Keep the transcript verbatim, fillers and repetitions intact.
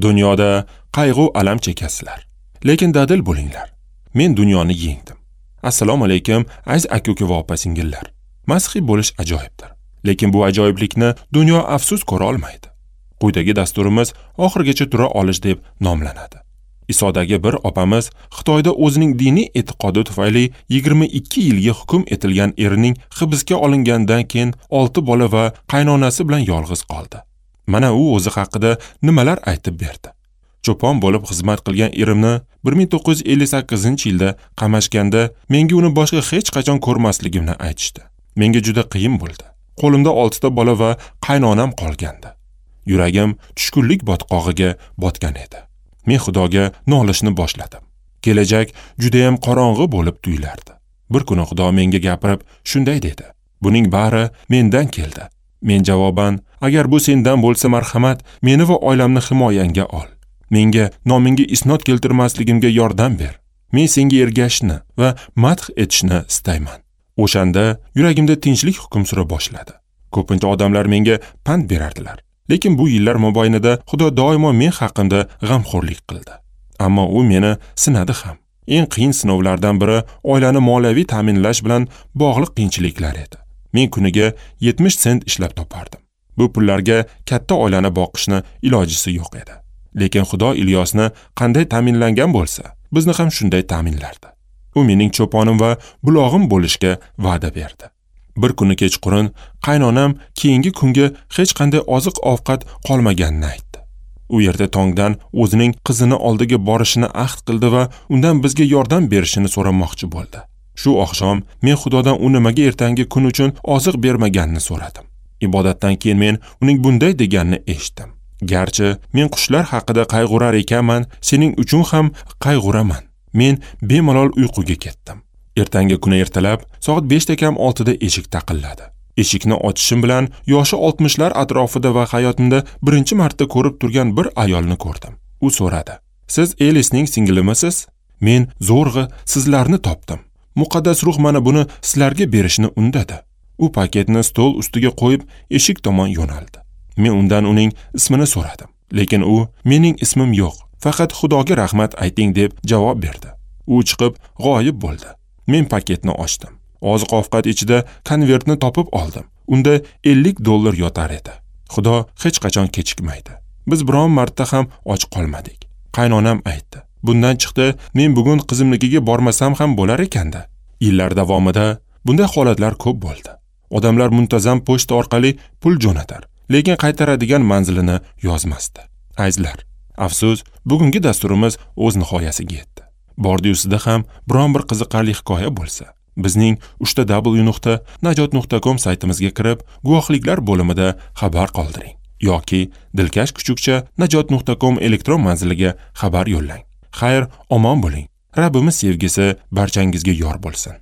Dunyoda qayg'u alam chekasizlar, lekin dadil bo'linglar. Men dunyoni yengdim. Assalomu alaykum, aziz aka-uka va opa-singillar. Masihiy bo'lish ajoyibdir, lekin bu ajoyiblikni dunyo afsus ko'ra olmaydi. Quyidagi dasturimiz oxirigacha tura olish deb nomlanadi. Isodagi bir opamiz Xitoyda o'zining diniy e'tiqodi tufayli yigirma ikki yilga hukm etilgan erining hibsga olingandan keyin olti bola va qaynonasi bilan yolg'iz qoldi. Mana u o'zi haqida nimalar aytib berdi. Cho'pon bo'lib xizmat qilgan erimni bir ming to'qqiz yuz ellik sakkizinchi yilda qamashganda menga uni boshqa hech qachon ko'rmasligimni aytishdi. Menga juda qiyin bo'ldi. Qo'limda oltita bola va qaynonam qolgandi. Yuragim tushkunlik botqog'iga botgan edi. Men Xudoga nolishni boshladim. Kelajak juda ham qorong'i bo'lib tuyulardi. Bir kuni Xudo menga gapirib shunday dedi: Buning bari mendan keldi. Men javoban: Agar bu sendan bo'lsa, marhamat, meni va oilamni himoyangga ol. Menga nomingga isnod keltirmasligimga yordam ber. Men senga ergashishni va madh etishni istayman. O'shanda yuragimda tinchlik hukm sura boshladi. Ko'pincha odamlar menga pand berardilar. Lekin bu yillar mobaynida Xudo doimo men haqimda g'amxo'rlik qildi. Ammo u meni sinadi ham. Eng qiyin sinovlardan biri oilani moliyaviy ta'minlash bilan bog'liq qiyinchiliklar edi. Men kuniga yetmish sent ishlab topardim. Bu pullarga katta oilani boqishni ilojisi yo'q edi. Lekin Xudo Ilyosni qanday ta'minlangan bo'lsa, bizni ham shunday ta'minlardi. U mening cho'ponim va bulog'im bo'lishga va'da berdi. Bir kuni kechqurun qaynonam keyingi kunga hech qanday oziq-ovqat qolmaganini aytdi. U yerda tongdan o'zining qizini oldiga borishini ahd qildi va undan bizga yordam berishini so'ramoqchi bo'ldi. Shu oqshom men Xudodan u nimaga ertangi kun uchun oziq bermaganini so'radim. Ibodatdan keyin men uning bunday deganini eshitdim: Garchi men qushlar haqida qayg'urar ekanman, sening uchun ham qayg'uraman. Men bemalol uyquga ketdim. Ertangi kuni ertalab soat beshda kam oltida eshik taqilladi. Eshikni ochishim bilan yoshi oltmishlar atrofida va hayotimda birinchi marta ko'rib turgan bir ayolni ko'rdim. U so'radi: Siz Elisning singlimisiz? Men zo'rg'a sizlarni topdim. Muqaddas ruh mana buni sizlarga berishni undadi. U paketni stol ustiga qo'yib eshik tomon yo'naldi. Men undan uning ismini so'radim, lekin u mening ismim yo'q, faqat Xudoga rahmat ayting deb javob berdi. U chiqib g'oyib bo'ldi. Men paketni ochdim. Oziq-ovqat ichida konvertni topib oldim. Unda ellik dollar yotar edi. Xudo hech qachon kechikmaydi. Biz biron marta ham och qolmadik. Qaynonam aytdi: Bundan chiqdi, men bugun qizimnikiga bormasam ham bo'lar ekanda. Yillar davomida bunday holatlar ko'p bo'ldi. Odamlar muntazam pochta orqali pul jo'natar, lekin qaytaradigan manzilini yozmasdi. Azizlar, afsus, bugungi dasturimiz o'z nihoyasiga yetdi. Bordi-yusida ham biron bir qiziqarli hikoya bo'lsa, bizning uchta w nuqta najot nuqta com saytimizga kirib, guvohliklar bo'limida xabar qoldiring yoki dilkash kuchukcha najot nuqta com elektron manziliga xabar yo'llang. Xayr, omon bo'ling. Rabbimiz sevgisi barchangizga yor bo'lsin.